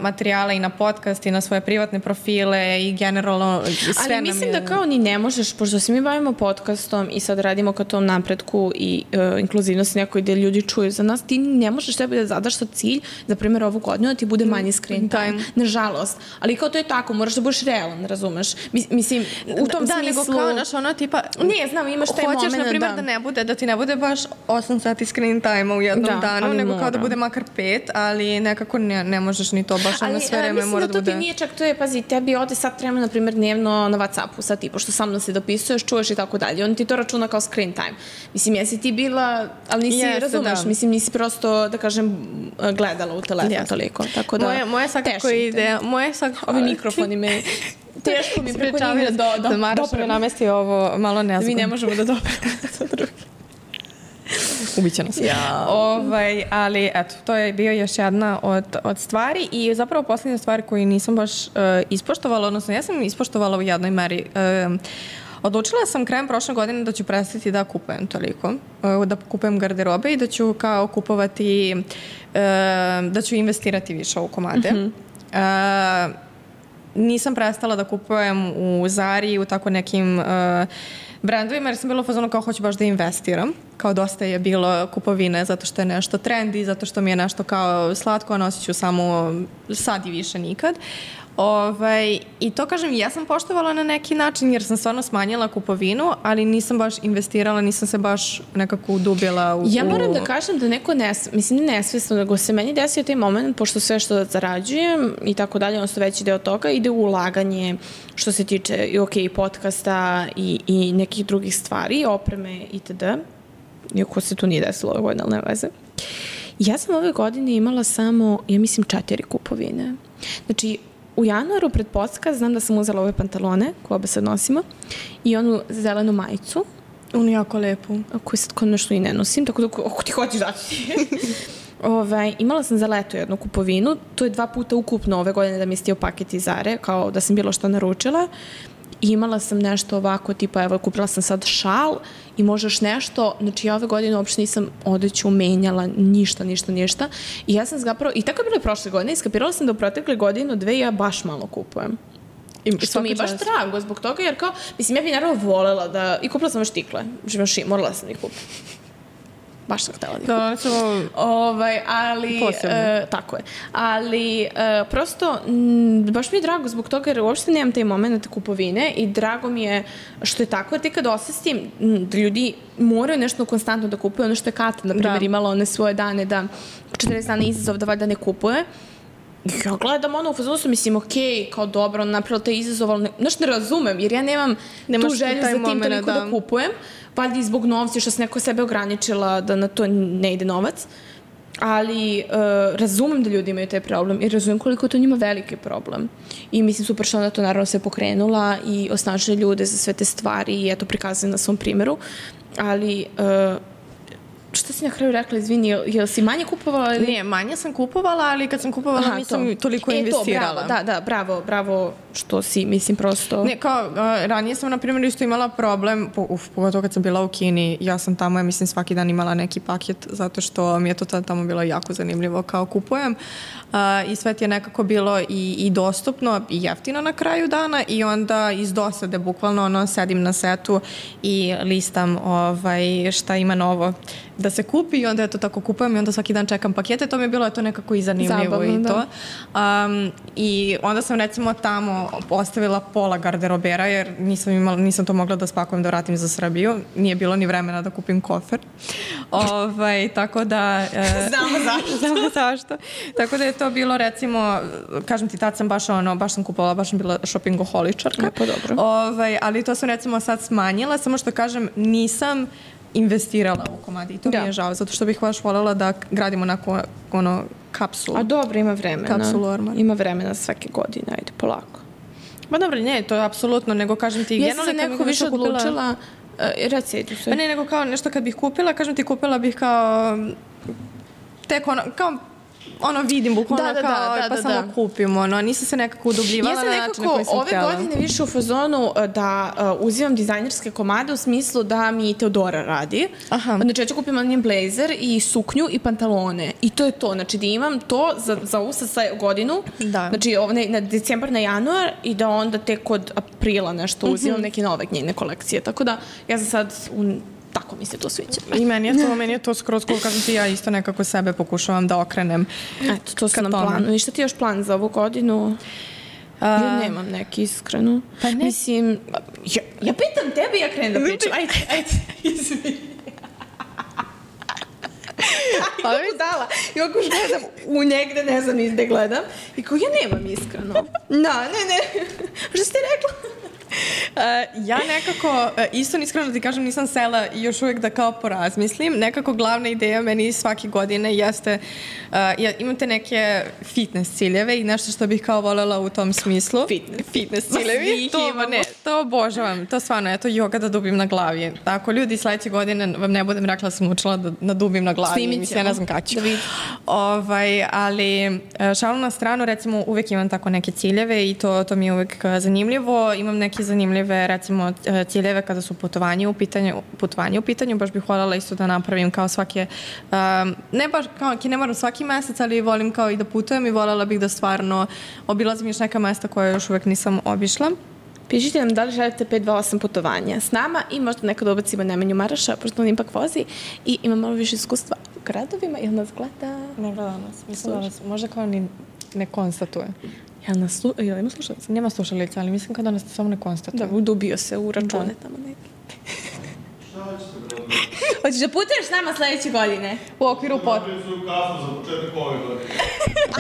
materijala i na podcast i na svoje privatne profile i generalno sve nam je... Ali mislim da kao ni ne možeš, pošto se mi bavimo podcastom i sad radimo ka tom napretku i inkluzivnosti nekoj gde ljudi čuju za nas, ti ne možeš sebi da zadaš sa cilj, za primjer ovu godinu, da ti bude manji screen time. Nažalost. Ali kao to je tako, moraš da budeš realan, razumeš? Mislim, u tom smislu... nego kao, znaš, ono tipa... Ne, znam, imaš taj moment... Hoćeš, na primjer, da ti ne bude baš 8 sati screen time u jednom danu, nego kao da bude makar 5, ali nekako ne možeš ni to baš ono sve vreme mora da bude... Mislim da to ti nije čak, to je, pazi, tebi ode sat vremena, na primjer, dnevno na WhatsAppu, sad ti, pošto sa mnom se dopisuješ, čuješ i tako dalje. On ti to računa kao screen time. Mislim, jesi ti bila, ali nisi, razumeš, mislim, nisi prosto, da kažem, gledala u telefon toliko. Tako da, moja svakako ide, ovi mikrofoni me... Teško mi preko njih da Maraša me namesti ovo malo nezgodno. Mi ne možemo da dopremo sa drugi. Ubiće nas. Ali, eto, to je bio još jedna od stvari i zapravo posljednja stvar koju nisam baš ispoštovala, odnosno ja sam ispoštovala u jednoj meri. Odlučila sam krajem prošle godine da ću prestati da kupujem toliko, da kupujem garderobe i da ću kao kupovati, da ću investirati više u komade. Nisam prestala da kupujem u Zari, u tako nekim brendovima, jer sam bila u fazonu kao hoću baš da investiram. Kao dosta je bilo kupovine zato što je nešto trendy, zato što mi je nešto kao slatko, a nosit ću samo sad i više nikad. I to kažem, ja sam poštovala na neki način jer sam stvarno smanjila kupovinu, ali nisam baš investirala, nisam se baš nekako udubila u... Ja moram da kažem da neko mislim nesvesno, nego se meni desio taj moment, pošto sve što zarađujem i tako dalje, odnosno veći deo toga ide u ulaganje što se tiče i podcasta i nekih drugih stvari, opreme itd. Iako se tu nije desilo ove godine, ali ne veze. Ja sam ove godine imala samo, ja mislim, 4 kupovine. Znači, u januaru pred podcast znam da sam uzela ove pantalone koje obe sad nosimo i onu zelenu majicu. Onu jako lepu. Koju sad kod nešto i ne nosim, tako da ako ti hoćeš dati. Imala sam za leto jednu kupovinu, to je 2 puta ukupno ove godine da mi je stio paket iz Zare, kao da sam bilo što naručila. I imala sam nešto ovako, tipa, evo, kupila sam sad šal i možeš nešto, znači ja ove godine uopšte nisam odeću menjala, ništa. I ja sam zapravo, i tako je bilo i prošle godine, iskapirala sam da u protekle godinu, 2 ja baš malo kupujem. Što mi je baš drago zbog toga, jer kao, mislim, ja bih naravno volela da, i kupila sam još tikle, morala sam ih kupiti. Baš sam htjela da ih kupim. Ali, tako je. Ali, prosto, baš mi je drago zbog toga, jer uopšte nemam taj moment kupovine i drago mi je što je tako, jer ti kad osvestim da ljudi moraju nešto konstantno da kupuju, ono što je Kata, na primjer, imala one svoje dane da 40 dana izazov da valjda ne kupuje, ja gledam ono u fazonu su, mislim, okej, kao dobro, on napravila taj izazov, ali ne razumem, jer ja nemam tu želju za tim toliko da kupujem, valjda i zbog novca, što se neko sebe ograničila da na to ne ide novac, ali razumem da ljudi imaju taj problem i razumem koliko je to njima veliki problem. I mislim, super što ona to naravno sve pokrenula i osnažila ljude za sve te stvari i eto, prikazuje na svom primjeru, ali... Šta si na kraju rekla, izvini, jel si manje kupovala? Ne, manje sam kupovala, ali kad sam kupovala nisam toliko investirala. Da, bravo što si, mislim, prosto... Ne, kao, ranije sam, na primjer, isto imala problem, pogotovo kad sam bila u Kini, ja sam tamo, mislim, svaki dan imala neki paket, zato što mi je to tamo bilo jako zanimljivo kao kupujem i sve ti je nekako bilo i dostupno i jeftino na kraju dana i onda iz dosade, bukvalno, sedim na setu i listam šta ima novo da se kupi i onda to tako kupujem i onda svaki dan čekam pakete, to mi je bilo nekako i zanimljivo. Zabavno, i to. I onda sam recimo tamo ostavila pola garderobera jer nisam to mogla da spakujem da vratim za Srbiju, nije bilo ni vremena da kupim kofer. Tako da... Znamo zašto. Tako da je to bilo recimo, kažem ti, tad sam baš sam kupovala, baš sam bila shoppingoholičarka. Pa dobro. Ali to sam recimo sad smanjila, samo što kažem nisam investirala u komadi i to mi je žao, zato što bih baš voljela da gradimo onako kapsulu. A dobro, ima vremena. Kapsulu ormar. Ima vremena svake godine, ajde, polako. Ma dobro, ne, to je apsolutno, nego kažem ti... Ja sam se neko više odlučila... Reci, pa ne, nego kao nešto kad bih kupila, kažem ti, kupila bih kao... Tek kao... vidim bukvalno pa samo kupim, nisam se nekako udubljivala na način na koji sam htjela. Ove godine više u fazonu da uzimam dizajnerske komade u smislu da mi Teodora radi. Znači, ja ću kupim njen blazer i suknju i pantalone. I to je to, znači da imam to za ovu godinu, znači na decembar, na januar i da onda tek od aprila nešto uzimam neke nove njene kolekcije. Tako da ja za sad jako mi se to sviđa. I meni je to skroz cool, kažem ti, ja isto nekako sebe pokušavam da okrenem. Eto, to su nam planu. I šta ti još plan za ovu godinu? Ja nemam neki iskreno. Pa ne. Mislim, ja pitam tebe i ja krenem da pričam. Ajde, izvini. Ja budala. I ovako gledam u negde, ne znam izde gledam. I kao, ja nemam iskreno. Ne. Šta si ti rekla? Ja nekako, iskreno da ti kažem, nisam sela još uvijek da kao porazmislim. Nekako glavna ideja meni svake godine jeste, imate neke fitness ciljeve i nešto što bih kao voljela u tom smislu. Fitness ciljevi. To obožavam. To stvarno, eto, joga da dubim na glavi. Tako, ljudi, sledeće godine vam ne budem rekla da sam učila da nadubim na glavi. Mislim, ja ne znam kada ću. Ali, šalu na stranu, recimo, uvijek imam tako neke ciljeve i to mi je uvijek zanimljivo. Imam neke zanimljive, recimo, ciljeve kada su putovanje u pitanju, baš bih voljela isto da napravim kao svake, ne baš kao, ne moram svaki mesec, ali volim kao i da putujem i voljela bih da stvarno obilazim još neka mesta koje još uvek nisam obišla. Pišite nam da li želite 528 putovanja s nama i možda nekada ubacimo Nemanju Maraša, pošto on ipak vozi i ima malo više iskustva u gradovima. Jel nas gleda? Ne gleda nas. Mislim da nas možda kao ni ne konstatuje. Jel ima slušalica? Nema slušalica, ali mislim kada nas samo ne konstatuje. Da, udubio se u račune tamo neki. Šta hoćete, brate? Hoćeš da putuješ s nama sledeće godine? U okviru Napravim svoju kafu za početak ove godine.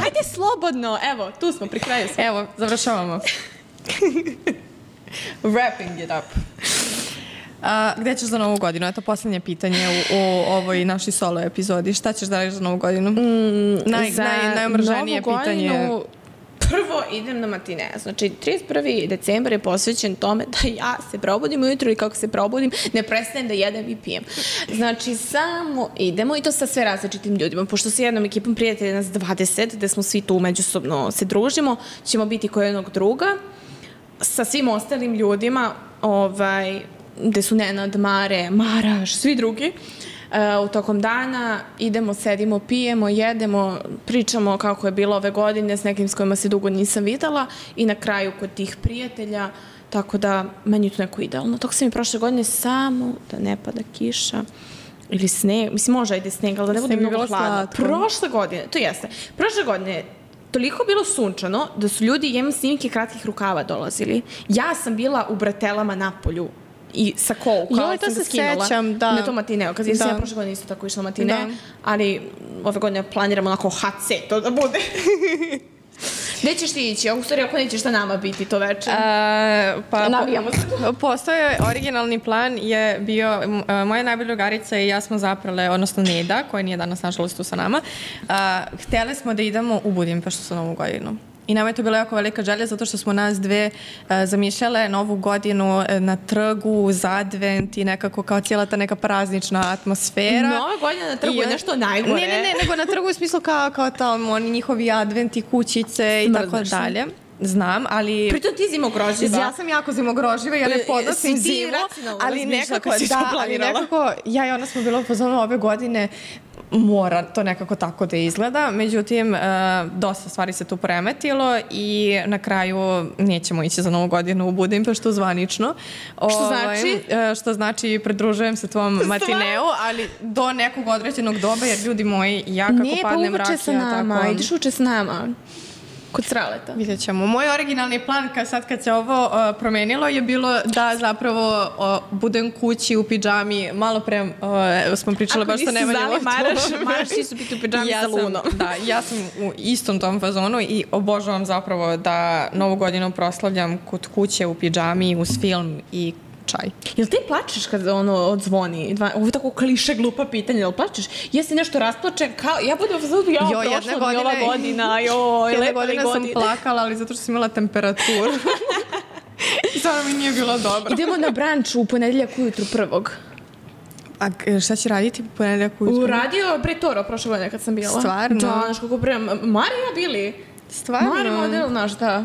Ajde slobodno, evo, tu smo, pri kraju smo. Evo, završavamo. Wrapping it up. Gde ćeš za Novu godinu? Eto, posljednje pitanje u ovoj našoj solo epizodi. Šta ćeš da radiš za Novu godinu? Najomrženije pitanje. Prvo idem na matine. Znači, 31. decembar je posvećen tome da ja se probudim ujutro i kako se probudim, ne prestajem da jedem i pijem. Znači, samo idemo i to sa sve različitim ljudima. Pošto sa jednom ekipom prijatelja nas 20, gde smo svi tu međusobno se družimo, ćemo biti kod jednog druga. Sa svim ostalim ljudima, gde su Nenad, Mare, Maraš, svi drugi, u tokom dana idemo, sedimo, pijemo, jedemo, pričamo kako je bilo ove godine s nekim s kojima se dugo nisam videla i na kraju kod tih prijatelja, tako da meni je to neko idealno. Tako sam i prošle godine samo da ne pada kiša ili sneg, mislim može ajde sneg, ali da ne bude mnogo hladno. Prošle godine, to jeste, prošle godine toliko bilo sunčano da su ljudi, imam snimke kratkih rukava dolazili. Ja sam bila u bratelama na polju i sa kao sam ga skinula na to matineo. Kad sam ja prošle godine isto tako išla matine, ali ove godine planiramo onako HC to da bude. Gde ćeš ti ići? U stvari, ako nećeš sa nama biti to večer? Navijamo se. Postoje originalni plan je bio, moja najbolja drugarica i ja smo zaprale, odnosno Neda, koja nije danas nažalost tu sa nama, htjeli smo da idemo u Budimpeštu sa Novu godinu. I nama je to bila jako velika želja zato što smo nas dve zamišljale Novu godinu na trgu, uz advent i nekako kao cijela ta neka praznična atmosfera. Nova godina na trgu je nešto najgore. Ne, nego na trgu u smislu kao tamo oni njihovi adventi, kućice i tako dalje. Znam, ali... Pritom ti zimogroživa. Ja sam jako zimogroživa, ja ne podnosim zimu, ali nekako, ja i ona smo bila u fazonu ove godine, mora to nekako tako da izgleda, međutim, dosta stvari se tu poremetilo i na kraju nećemo ići za Novu godinu u Budimpeštu zvanično. Što znači? Što znači, pridružujem se tvom matineu, ali do nekog određenog doba, jer ljudi moji, ja kako padnem mrak, uče sa nama, ideš uče s nama. Kod Sraleta. Vidjet ćemo. Moj originalni plan kad se ovo promenilo je bilo da zapravo budem kući u pidžami. Malo pre smo pričale baš sa Nemanjom. Ako nisi zvali Maraš ti su biti u pidžami sa Lunom. Da, ja sam u istom tom fazonu i obožavam zapravo da Novu godinu proslavljam kod kuće u pidžami uz film i čaj. Jel ti plačeš kad odzvoni? Ovo je tako kliše, glupa pitanja. Jel plačeš? Jesi nešto rasplačen? Ja budem u fazonu, prošla mi ova godina. Jedne godine sam plakala, ali zato što sam imala temperaturu. I sada mi nije bilo dobro. Idemo na branč u ponedeljak ujutru 1. A šta će raditi ponedeljak ujutru? Radio Pretoro prošle godine kad sam bila. Stvarno? Da, znaš kako pre... Marija bili. Stvarno? Marija model, znaš da.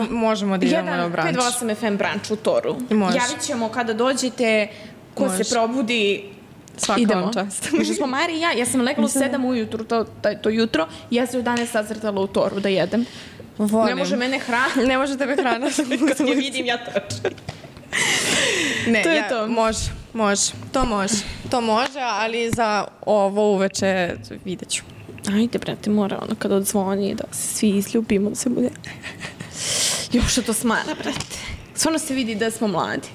Možemo da idemo na branč. 528 FM branč u Toru. Javit ćemo kada dođete, ko se probudi, idemo. Čast. Možda smo Mari i ja sam legla u 7 ujutru to jutro i ja se u 11 sazrtala u Toru da jedem. Volim. Ne može mene hrana. Ne može tebe hrana. Kad je vidim, ja trčim. Ne, To je to. To može, ali za ovo uveče vidjet ću. Ajde, brate, mora ono kad odzvoni da se svi izljubimo, da se bude... Još što to smara, brate. Stvarno se vidi da smo mladi.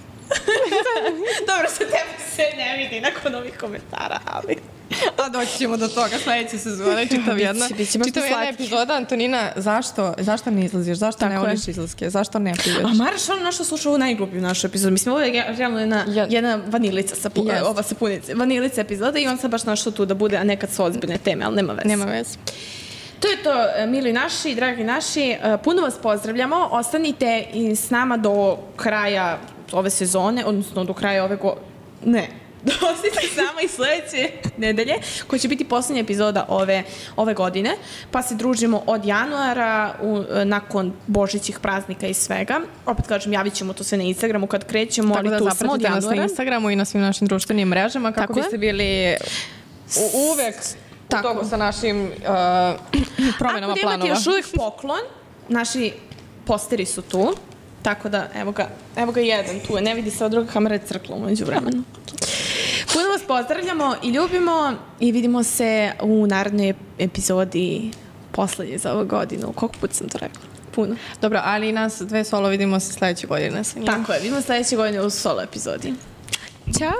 Dobro, sa tebe se ne vidi nakon ovih komentara, ali... A doći ćemo do toga sledeće sezone, Biće baš jedna slatki. epizoda. Antonina, zašto ne izlaziš? Zašto ne voliš izlaske? Zašto ne piješ? A Mara što našla sluša ovu najglupiju našu epizodu. Mislim, ovo je realno jedna vanilica ova sapunice. Vanilica epizoda i on sad baš našla tu da bude, a nekad su ozbiljne teme, ali nema veze. Nema veze. To je to, mili naši, dragi naši. Puno vas pozdravljamo. Ostanite i s nama do kraja ove sezone, odnosno do kraja Ostanite s nama i sledeće nedelje, koja će biti poslednja epizoda ove godine, pa se družimo od januara nakon božićih praznika i svega. Opet kažem, javit ćemo to sve na Instagramu kad krećemo, ali tu smo od zapratite nas na Instagramu i na svim našim društvenim mrežama kako biste bili uvek u toku sa našim promenama planova. Ako imate još uvijek poklon, naši posteri su tu, tako da evo ga jedan tu je, ne vidi se, od druga kamera je crkla umeđu vremenu. Puno vas pozdravljamo i ljubimo i vidimo se u narednoj epizodi poslednje za ovu godinu. Koliko put sam to rekla? Puno. Dobro, ali nas dve solo vidimo se sledeće godine sa njim. Tako je, vidimo sledeće godine u solo epizodi. Ćao!